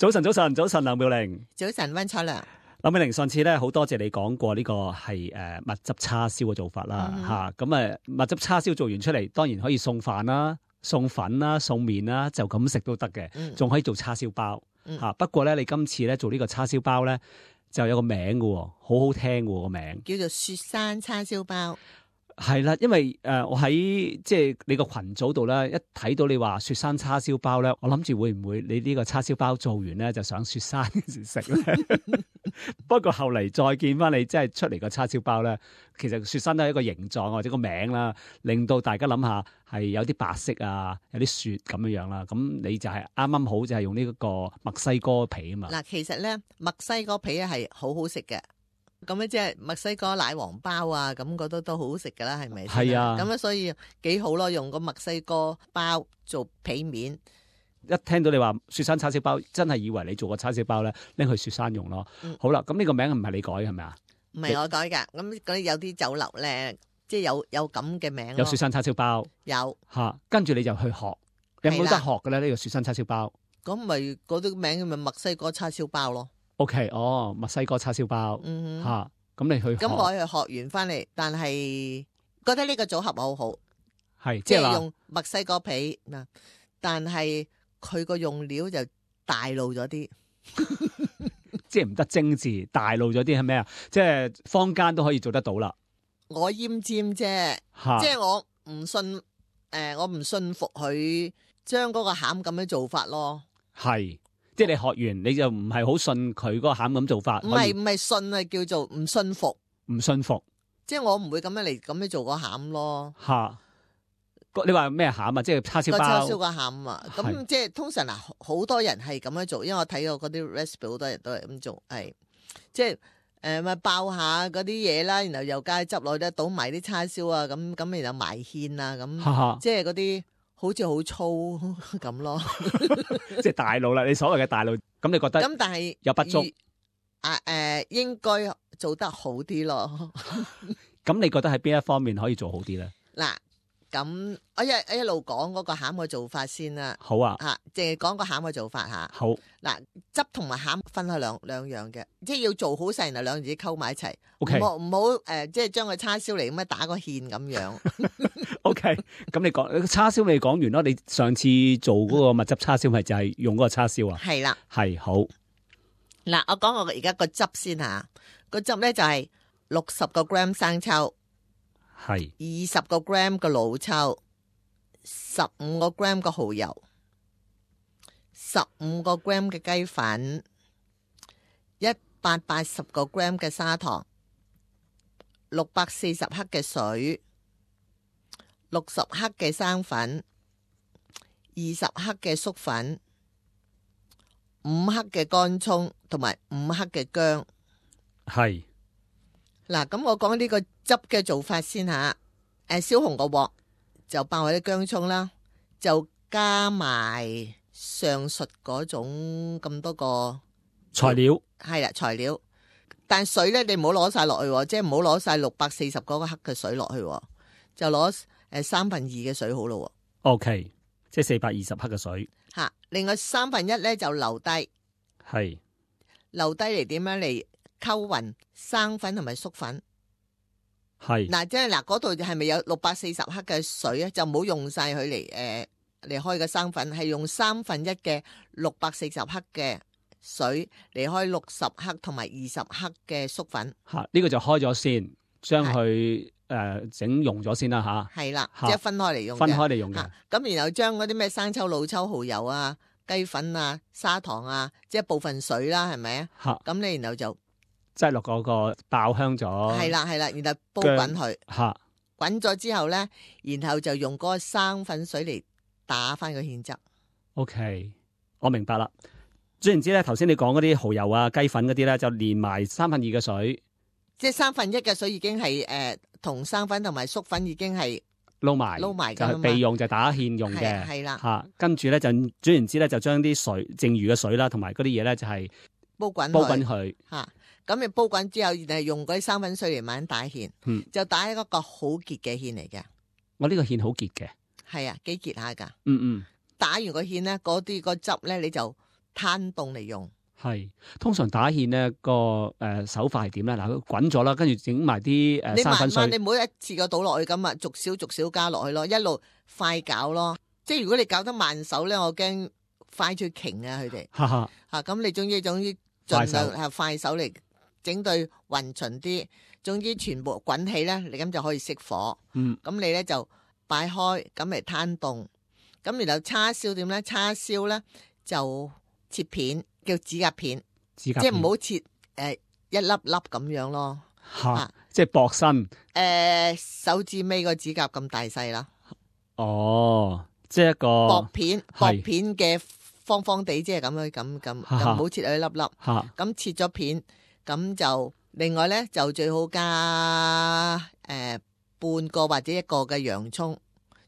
早晨，梁妙玲。早晨，溫楚良。梁妙玲，上次咧好多謝你講過呢個係蜜汁叉燒嘅做法啦吓，咁蜜汁叉燒做完出嚟，當然可以送飯啦、送粉啦、送麵啦，就咁食都得嘅，仲可以做叉燒包吓。不過咧，你今次咧做呢個叉燒包咧，就有個名嘅，好好聽嘅個名，叫做雪山叉燒包。係啦，因為我喺即係你個群組度咧，一睇到你話雪山叉燒包咧，我諗住會唔會你呢個叉燒包做完咧就上雪山食咧？不過後嚟再見翻你即係出嚟個叉燒包咧，其實雪山都係一個形狀或者個名啦，令到大家諗下係有啲白色啊，有啲雪咁樣樣啦。咁你就係啱啱好就係用呢個墨西哥皮啊嘛。嗱，其實咧墨西哥皮係好好食嘅。咁咧即係墨西哥奶黃包啊，咁覺得都好好食噶啦，係咪？係啊，咁所以幾好咯，用個墨西哥包做皮面。一聽到你話雪山叉燒包，真係以為你做個叉燒包咧，拎去雪山用咯。好啦，咁呢個名唔係你改係咪啊？唔係我改噶，咁嗰啲有啲酒樓咧，即係有咁嘅名。有雪山叉燒包，有吓，跟住你就去學，有冇得學嘅咧？呢個雪山叉燒包，咁咪嗰啲名咪墨西哥叉燒包咯。OK， 墨西哥叉燒包，吓，咁你去學，咁我去學完翻嚟，但係覺得呢個組合好好，係即係用墨西哥皮嗱，但係佢個用料就大路咗啲，即係唔得精緻，大路咗啲係咩啊？即係坊間都可以做得到啦。我奄尖啫，即係我唔信，我唔信服佢將嗰個餡咁樣做法咯。係。即係你學完你就唔係好信佢嗰個餡咁做法，唔係信啊，叫做唔信服，唔信服。即係我唔會咁樣做個餡咯。吓，你話咩餡啊？即係叉燒包。個叉燒個餡啊，咁即係通常嗱，好多人係咁樣做，因為我睇過嗰啲 recipe， 好多人都係咁做，係即係咪爆下嗰啲嘢啦，然後又加汁落去，倒埋啲叉燒啊，咁然後埋芡啊，咁即係嗰啲。好似好粗咁咯，即係大路啦。你所謂嘅大路，咁你覺得咁但係有不足應該做得好啲咯。咁你覺得喺邊一方面可以做好啲咧？嗱，咁我一路講嗰個餡嘅做法先啦。好啊，淨係講個餡嘅做法吓。好，嗱，汁同埋餡分開兩樣嘅，即係要做好晒，然後兩樣嘢溝埋一齊。OK，唔好即係將個叉燒嚟咁樣打個芡咁樣。OK，咁你講叉燒你講完咯。你上次做嗰個蜜汁叉燒咪就係用嗰個叉燒啊？係啦，係好。嗱，我講我而家個汁先吓，個汁咧就係60個 gram 生抽，係20個 gram 嘅老抽，15個 gram 嘅蠔油，15個 gram 嘅雞粉，180個 gram 嘅砂糖，640克嘅水，60克嘅生粉，20克嘅粟粉，5克嘅乾蔥同埋5克嘅薑。係嗱，咁我講呢個汁嘅做法先吓。燒紅個鑊就爆下啲薑蔥啦，就加埋上述嗰種咁多個材料。係啦，材料。但水咧，你唔好攞晒落去，即係唔好攞晒640嗰個克嘅水落去，就攞2/3嘅水好咯。OK， 即係420克嘅水。吓，另外1/3咧就留低。係留低嚟點樣嚟溝勻生粉同埋粟粉。係嗱，即係嗱，嗰度係咪有640克嘅水啊？就唔好用晒佢嚟開個生粉，係用1/3嘅640克嘅水嚟開60克同埋20克嘅粟粉。吓，呢個就開咗先，將佢整溶咗先啦吓。係啦，即係分開嚟用嘅。分開嚟用嘅。咁然後將嗰啲咩生抽、老抽、蠔油啊、雞粉啊、砂糖啊，即係部分水啦，係咪啊？吓，咁你然後就擠落嗰個爆香咗。係啦，然後煲滾佢。吓，滾咗之後咧，然後就用嗰個生粉水嚟打翻個芡汁。OK， 我明白啦。總言之咧，頭先你講嗰啲蠔油啊、雞粉嗰啲咧，就連埋2/3嘅水，即係1/3嘅水已經係同生粉同埋粟粉已經係撈埋就係備用，就打芡用嘅。係啦，吓，跟住咧就總言之咧，就將啲水剩餘嘅水啦，同埋嗰啲嘢咧就係煲滾佢。吓，咁你煲滾之後，然後用嗰啲生粉水嚟慢慢打芡，就打一個好結嘅芡嚟嘅。我呢個芡好結嘅。係啊，幾結下噶。嗯。打完個芡咧，嗰啲個汁咧，你就攤凍嚟用。係通常打芡咧個手法係點咧？嗱，佢滾咗啦，跟住整埋啲你生粉水慢慢，你唔好一次過倒落去咁啊，逐少逐少加落去咯，一路快攪咯。即係如果你搞得慢手咧，我驚快出瓊啊佢哋哈哈，嚇。咁你總之盡量係快手嚟整對勻循啲。總之全部滾起咧，你咁就可以熄火。咁你咧就擺開，咁嚟攤凍。咁然後叉燒點咧？叉燒咧就切片，叫指甲片，即係唔好切一粒粒咁樣咯。即係薄身。手指尾個指甲咁大細啦。哦，即係一個薄片嘅方方地，即係咁樣咁，就唔好切一粒粒。咁切咗片，咁就。另外咧就最好加半個或者一個嘅洋葱，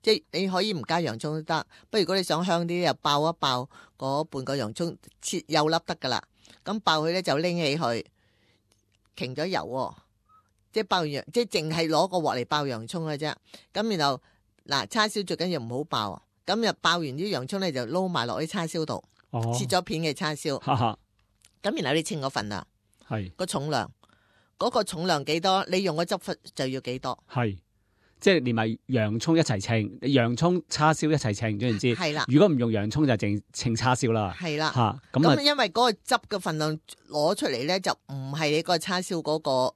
即係你可以唔加洋葱都得。不過如果你想香啲，又爆一爆嗰半個洋葱，切幼粒得噶啦。咁爆佢咧就拎起佢，擎咗油喎，即係爆完洋，即係淨係攞個鑊嚟爆洋葱嘅啫。咁然後嗱，叉燒最緊要唔好爆，咁就爆完啲洋葱咧就撈埋落啲叉燒度，切咗片嘅叉燒。咁然後你稱嗰份量，係個重量。嗰個重量幾多，你用個汁粉就要幾多。係，即係連埋洋葱一齊稱，洋葱叉燒一齊稱，總言之。係啦。如果唔用洋葱就淨稱叉燒啦。係啦。咁因為嗰個汁嘅份量攞出嚟咧，就唔係你個叉燒嗰個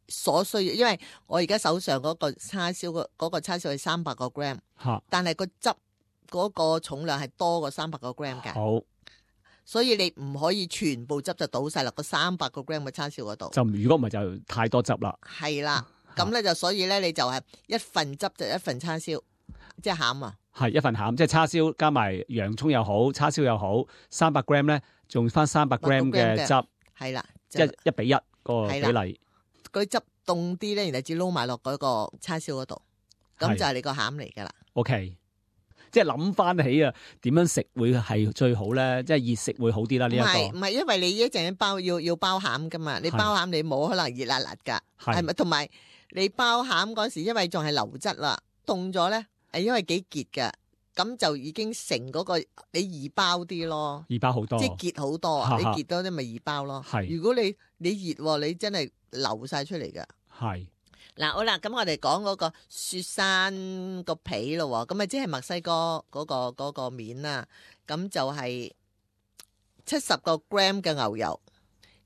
所需要。因為我而家手上嗰個叉燒嗰個叉燒係300個 gram，但係個汁嗰個重量係多過300個 gram 嘅。好。所以你唔可以全部汁就倒晒落個300個 gram 嘅叉燒嗰度。就如果唔係就太多汁啦。係啦，咁咧就所以咧你就係一份汁就一份叉燒，即係餡啊。係一份餡，即係叉燒加埋洋葱又好，叉燒又好，300 gram 咧，仲翻300 gram 嘅汁。係啦，即係1比1個比例。嗰啲汁凍啲咧，然後至撈埋落嗰個叉燒嗰度，咁就係你個餡嚟噶啦。OK。即係諗翻起啊，點樣食會係最好咧？即係熱食會好啲啦。呢一個唔係，因為你一陣包要包餡噶嘛，你包餡你冇可能熱辣辣噶，係咪？同埋你包餡嗰時，因為仲係流質啦，凍咗咧，因為幾結噶，咁就已經成嗰個你易包啲咯，易包好多，即係結好多啊！你結多啲咪易包咯。係，如果你熱，你真係流晒出嚟噶。係。嗱，好啦，咁我哋講嗰個雪山個皮咯，咁啊即係墨西哥嗰個面啦，咁就係70個 gram 嘅牛油，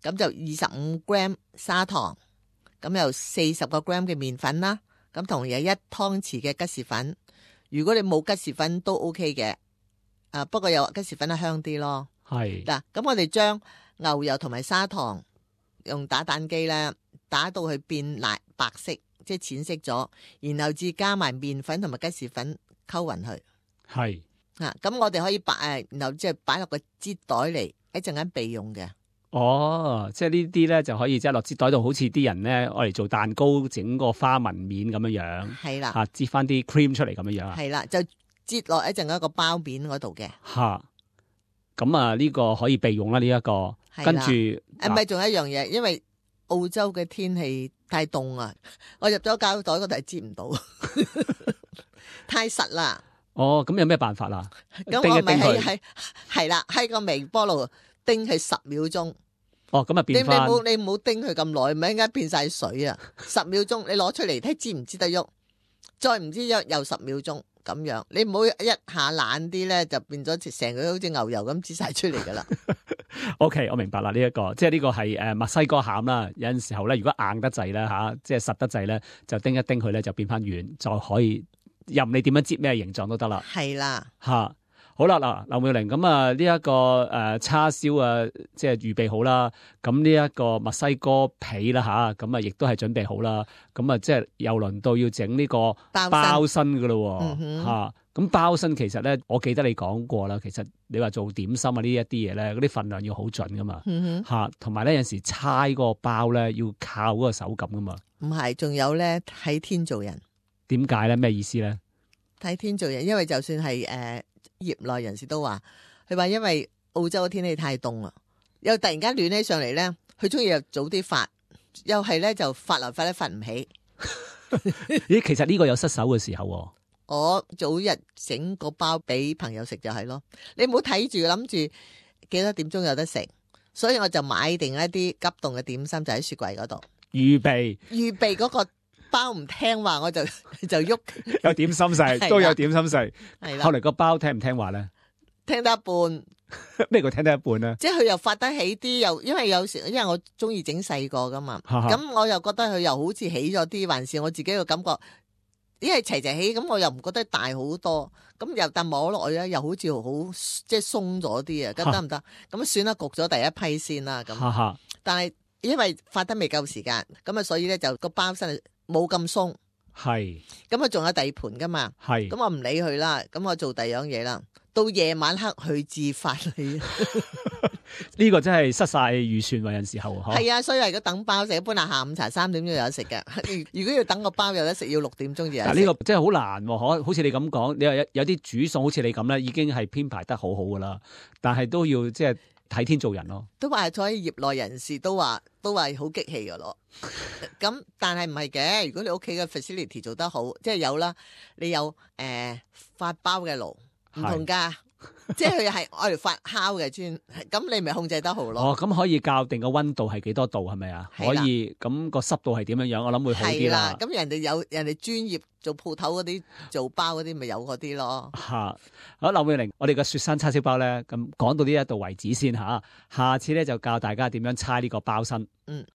咁就25 gram 砂糖，咁又40個 gram 嘅麵粉啦，咁同樣1湯匙嘅吉士粉。如果你冇吉士粉都 OK 嘅，不過有吉士粉係香啲咯。係嗱，咁我哋將牛油同埋砂糖用打蛋機咧。打到佢變白色，即係淺色咗，然後至加埋麵粉同埋吉士粉溝勻佢。係咁我哋可以然後即係擺落個擠袋嚟，一陣間備用嘅。哦，即係呢啲咧就可以即係落擠袋度，好似啲人咧我嚟做蛋糕整個花紋面咁樣樣。係啦，擠翻啲 cream 出嚟咁樣樣啊。係啦，就擠落一陣一個包面嗰度嘅。咁啊呢個可以備用啦，呢一個。跟住唔係仲有一樣嘢，因為澳洲嘅天氣太凍啊！我入咗膠袋嗰度係擠唔到，太實啦。哦，咁有咩辦法啦？咁我咪係啦，喺個微波爐叮佢10秒鐘。哦，咁啊變翻。你唔好叮佢咁耐，咪應該變晒水啊！10秒鐘，你攞出嚟睇擠唔擠得喐，再唔知喐又10秒鐘咁樣。你唔好一下懶啲咧，就變咗成個好似牛油咁擠晒出嚟噶啦。OK， 我明白啦，呢一個即係呢個係墨西哥餡啦。有陣時候咧，如果硬得滯咧即係實得滯咧，就叮一叮佢咧就變翻軟，就可以任你點樣擠咩形狀都得啦。係啦，好啦嗱，劉妙玲咁啊，呢一個叉燒啊，即係預備好啦。咁呢一個墨西哥皮啦咁啊，亦都係準備好啦。咁啊，即係又輪到要整呢個包身噶咯咁包身其實咧，我記得你講過啦。其實你話做點心啊呢一啲嘢咧，嗰啲份量要好準噶嘛。同埋咧有陣時猜嗰個包咧要靠嗰個手感噶嘛。唔係，仲有咧睇天做人。點解咧？咩意思咧？睇天做人，因為就算係業內人士都話，佢話因為澳洲嘅天氣太凍啊，又突然間暖起上嚟咧，佢中意又早啲發，又係咧就發來發咧發唔起。咦，其實呢個有失手嘅時候。我早日整個包俾朋友食就係咯，你唔好睇住諗住幾多點鐘有得食，所以我就買定一啲急凍嘅點心就喺雪櫃嗰度預備嗰個包唔聽話我就喐，有點心食，係啦都有點心食。係啦，後嚟個包聽唔聽話咧？聽得一半。咩叫聽得一半咧？即係佢又發得起啲，又因為有時因為我中意整細個噶嘛，哈哈咁我又覺得佢又好似起咗啲，還是我自己嘅感覺，因為齊齊起，咁我又唔覺得大好多，咁又但摸落去咧，又好似好即係鬆咗啲啊，咁得唔得？咁算啦，焗咗第一批先啦，咁哈哈，但係因為發得未夠時間，咁啊所以咧就個包身冇咁鬆，係咁啊仲有第二盤噶嘛，係咁我唔理佢啦，咁我做第二樣嘢啦。到夜晚黑去自發你，呢個真係失晒預算喎，有陣時候嗬。係啊，所以為咗等包食，一般係下午茶3點鐘有得食嘅。如果要等個包有得食，要6點鐘就有得食。嗱，呢個真係好難喎，好似你咁講，你話有啲煮餸好似你咁咧，已經係編排得好好噶啦，但係都要即係睇天做人咯。都話所以業內人士都話好激氣噶咯。咁但係唔係嘅，如果你屋企嘅 facility 做得好，即係有啦，你有發包嘅爐。唔同噶，即係佢係愛嚟發酵嘅專，咁你咪控制得好咯。哦，咁可以校定個溫度係幾多度係咪啊？係啦可以，咁個濕度係點樣樣？我諗會好啲啦。咁人哋專業做鋪頭嗰啲做包嗰啲，咪有嗰啲咯。吓，好，劉永玲，我哋嘅雪山叉燒包咧，咁講到呢一度為止先吓，下次咧就教大家點樣猜呢個包身。嗯。